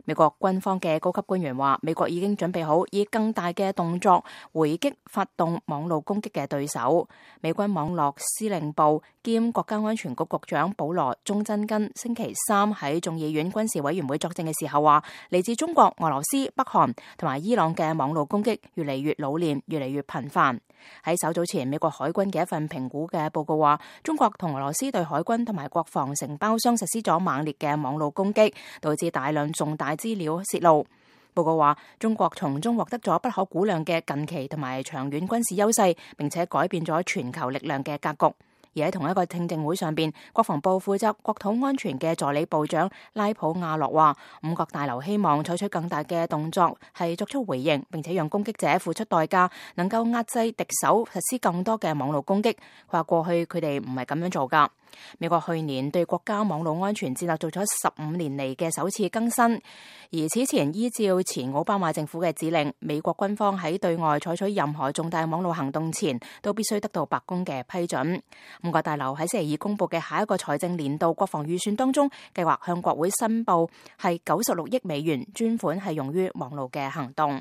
美國軍方嘅高級官員話，美國已經準備好以更大嘅動作回擊發動網絡攻擊嘅對手。美軍網絡司令部兼國家安全局局長保羅鍾真根星期三喺眾議院軍事委員會作證嘅時候話，嚟自中國、俄羅斯、北韓同埋伊朗嘅網絡攻擊越嚟越老練，越嚟越頻繁。喺稍早前，美國海軍嘅一份評估嘅報告話，中國同俄羅斯對海軍同埋國防承包商實施咗猛烈嘅網絡攻擊，導致大量重大資料洩露。報告話，中國從中獲得咗不可估量嘅近期同埋長遠軍事優勢，並且改變咗全球力量嘅格局。而喺同一個聽證會上邊，國防部負責國土安全嘅助理部長拉普亞洛話，五角大樓希望採取更大嘅動作，係作出回應，並且讓攻擊者付出代價，能夠壓制敵手實施更多嘅網絡攻擊。佢話過去佢哋唔係咁樣做噶。美國去年對國家網絡安全戰略做咗15年嚟嘅首次更新，而此前依照前奧巴馬政府嘅指令，美國軍方喺對外採取任何重大網絡行動前，都必須得到白宮嘅批准。五角大樓喺星期二公布嘅下一個財政年度國防預算當中，計劃向國會申報係96億美元專款係用於網絡嘅行動。